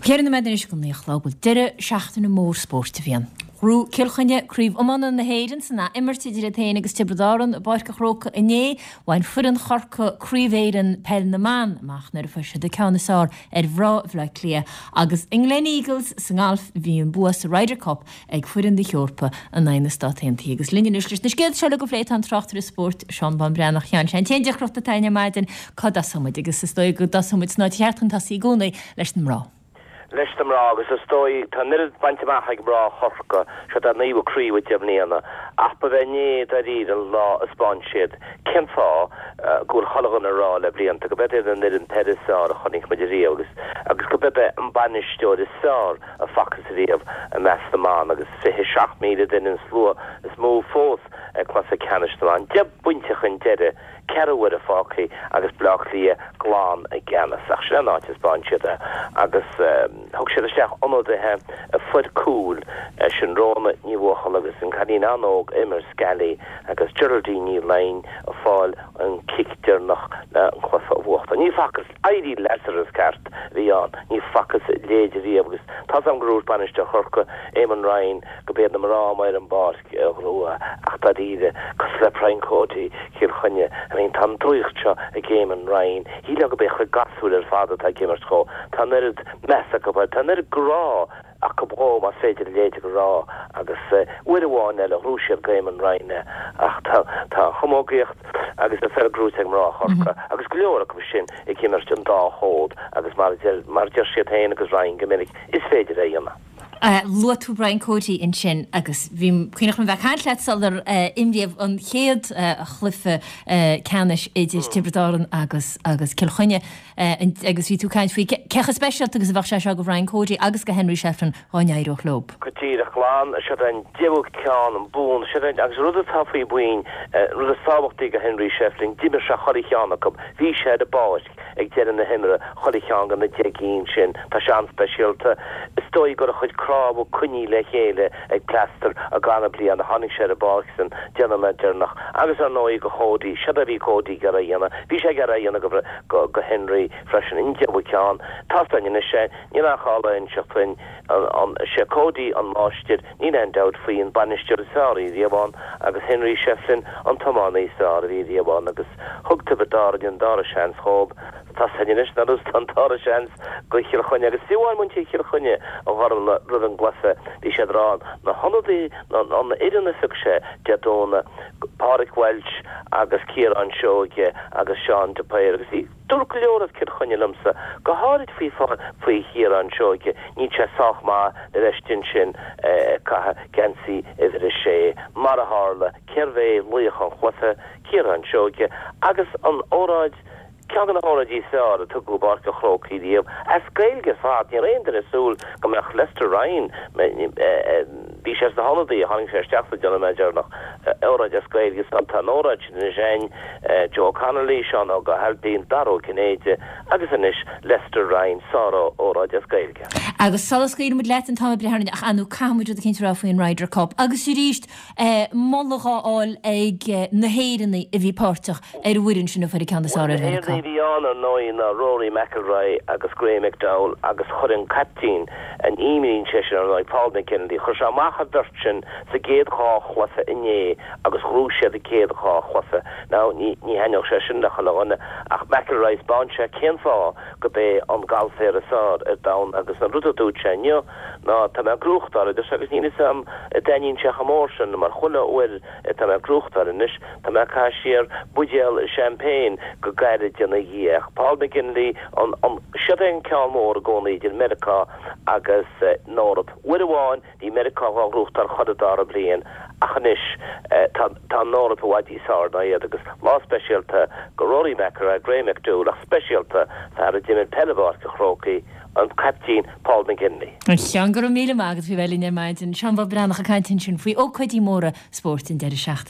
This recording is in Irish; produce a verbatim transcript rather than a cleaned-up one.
Ceithre nóiméad anois go naoi a chlog, bhuel, deireadh seachtaine mór spóirt a bhí ann. Ghnóthaigh Cill Chainnigh Craobh Iomána na hÉireann san ath-imirt idir iad féin agus Tiobraid Árann i bPáirc an Chrócaigh inné. Bhain foireann Chorcaí Craobh Éireann Peil na mBan amach nuair a fuair siad an ceann is fearr ar mhná Bhaile Átha Cliath agus i nGleneagles sa ngalf bhí an bua sa Ryder Cup ag foireann na hEorpa in aghaidh na Stát Aontaithe. Agus linn anois leis na scéalta seo uilig a phlé tá an tráchtaire spóirt Seán Bán Breathnach. A Sheáin, sé an t-aon deacracht atá againn ar maidin cá dtosóidh muid agus is dóigh go dtosóidh muid san áit cheart chun tosaí i gcónaí leis na mná. leis na mná agus is dóigh tá an oiread bainte amach ag mná Chorcaí, seo a naoú craobh i deich mbliana, ach ba é inné dáiríre an lá a 'spáin siad cén fáth go bhfuil chuile dhuine ag rá le blianta go b'é an fhoireann peile is fearr a chonaic muid riamh agus agus go b'é an bainisteoir is fearr a facthas riamh i measc na mban agus fiche seacht míle duine an slua is mó fós ag cluiche ceannais na mban. Deich bpointe chun deiridh. Ceithre huaire fágtha agus Bleá Cliath glan i gceannas. Ach sin an áit a 'spáin siad é agus thug siad isteach ionadaithe a fuair cúil, sin Rhona Ní Bhuachalla agus an cailín an-óg Eimear Scally agus Geraldine Ní Laighin ag fáil an cic deireanach le an cluiche a bhuachtáil. Ní facthas éirí Lazarus ceart a bhí ann, ní facthas a leithéid riamh agus tá's agam gur dhúirt bainisteoir Chorcaí, Eamon Ryan, go b'iad na mná amuigh ar an bpáirc. a ghnóthaigh ach dáiríre, cosúil le Brian Cody, Cill Chainnigh, I mean tá an draíocht seo ag Eamon Ryan, shílfeá go b'é a chuid gasúir ar fad atá ag imirt dhó, tá an oiread meas acu air, tá an oiread grá acu dhó más féidir a leithéid a rá agus uair amháin eile ghnóthaigh siad go Eamon Ryan é ach tá tá an chamógaíocht agus an pheil gnóite ag mná Chorcaí agus go leor acu sin ag imirt an dá chód agus mar a deir mar a deir siad féin agus Ryan go minic is féidir é a dhéanamh. Luaigh tú Brian Cody ansin agus bhí cuimhneach liom bheith ag caint leat sular imríodh an chéad chluiche ceannais idir Tiobraid Árann agus agus Cill Chainnigh agus bhí tú ag caint faoi cé chomh speisialta agus a bheadh sé seo do Bhrian Cody agus do Henry Shefflin dá n-éireodh leo. Go díreach glan, siod é an deichiú ceann, an bonn, siod é agus rud atá faoi bhuinn, rud is tábhachtaí do Henry Shefflin, d'imir sé chuile cheann acu, bhí sé ar an bpáirc. Ag deireadh na himeartha, chuile cheann de na deich gcinn sin, tá sé an-speisialta. Is dóigh go raibh a chuid cnámha coinnithe le chéile ag plastar i gcaitheamh na bliana. Tháinig sé ar an bpáirc san deich nóiméad deireanach. Agus ar ndóigh do Chody, siod é a bhí Cody ag iarraidh a dhéanamh. Bhí sé ag iarraidh a dhéanamh go go Henry freisin. An deichiú ceann. Tá's againn anois é, níl aon chall a inseacht dúinn. An, sé Cody an máistir, níl aon dabht faoi, an bainisteoir is fearr a bhí riamh ann agus Henry Shefflin an tiománaí is fearr a bhí riamh ann agus thug Tiobraid Árann an dara seans dhóibh. Tá's againn anois nár thug an dara seans go Chill Chainnigh agus fiú amháin muintir Chill Chainnigh a Ghormfhlaith roimh an gcluiche bhí siad ag rá na hionadaithe an fhoireann a phioc sé Dé Domhnaigh, Pádraig Walsh agus Ciarán Seoige agus Seán de Paor agus bhí Dúirt go leor as Cill Chainnigh liomsa, go háirid faoi faoi Chiarán Seoige, níl sé sách maith le bheith istigh ansin ag caitheamh geansaí uimhir a sé. Mar a tharla, cérbh é laoch an chluiche? Ciarán Seoige. Agus an óráid, ceann de na hóráidí is fearr a tugadh i bPáirc an Chrócaigh riamh, as Gaeilge ar fad. Ní raibh aon duine ag súil go mbeadh Lester Ryan, bhí sé sna hionadaithe, tháinig sé isteach sa deich nóiméad deireanach, óráid as Gaeilge, so tá an óráid sin anois againn. Joe Connolly, Seán Óg Ó hAilpín, Dara Ó Cinnéide agus anois Lester Ryan, sár-óráid as Gaeilge. Agus sula scaoilfidh muid leat an t-am ag breith orainn, ach ar ndóigh caithfidh muid rud eicínt a rá faoin Ryder Cup. Agus arís, moladh dhá fháil ag na hÉireannaigh a bhí páirteach ar an bhfoireann sin a fuair an ceann is fearr Bhuel, ar na Mheiriceá. hÉireannaigh a bhí ann, ar ndóigh, ná Rory McIlroy agus Graeme McDowell agus chuir an caiptín, an imríonn seisean, ar ndóigh, Paul McGinley, chuir sé amach an bheirt sin sa gcéad dhá chluiche inné agus ghnóthaigh siad an chéad dhá chluiche. Now, ní, ní thaitneodh sé sin le chuile dhuine, ach McIlroy, 'spáin sé cén fáth go b'é an galféir is fearr ar domhan agus an rud a dúirt sé inniu ná tá mé ag gnóthachtáil, a deir sé, agus níl fhios a'm an dtaitníonn sé chomh mór sin mar chuile uair atá mé ag gnóthachtáil anois, tá mé ag caitheamh siar buidéal champagne go gairid ina dhiaidh. Ach Paul McGinley, an, an, siod é an ceann mór i gcónaí idir Meiriceá agus an Eoraip. Uair amháin, Bhí Meiriceá dhá ghnóthachtáil chuile dara bliain ach anois tá tá an Eoraip i bhfad níos fearr ná iad agus lá speisialta go Rory McIlroy, Graeme McDowell ach speisialta fear a d'imir peil i bPáirc an Chrócaigh, an caiptín Paul McGinley. A Sheáin, go raibh míle maith agat faoi bheith linn ar maidin. Seán Bán Breathnach ag caint ansin faoi ócáidí móra spóirt an deireadh seachtaine.